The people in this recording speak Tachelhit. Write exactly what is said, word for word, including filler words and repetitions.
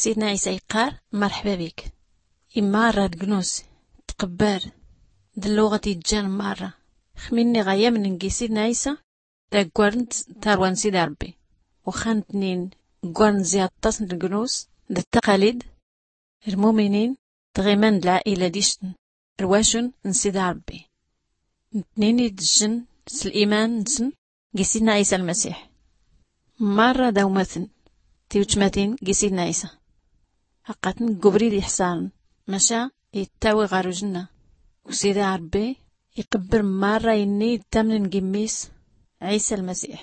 Sidna ɛisa iqqar, marḥba bik. Immarra d gnus tqbbar d lluɣat ijjan marra xminni ɣa yamn n gi sidna ɛisa. Daggwarn tarwa n sida rbbi, uxxan tnin ggwarn zi aṭṭas n gnus d ttaqalid. Lmuminin tɣiman d lɛaila dicn rwacun n sida rbbi. Ntnin idjn s liman nsn gi sidna ɛisa lmsiḥ. Marra dawmatn tiwcmatin gi sidna ɛisa. Aqatn ggubrid ixsarn maca ittawi ɣar ujnna. Usida rbbi iqbbr marra inni ittamnn gimmis ɛisa lmsiḥ.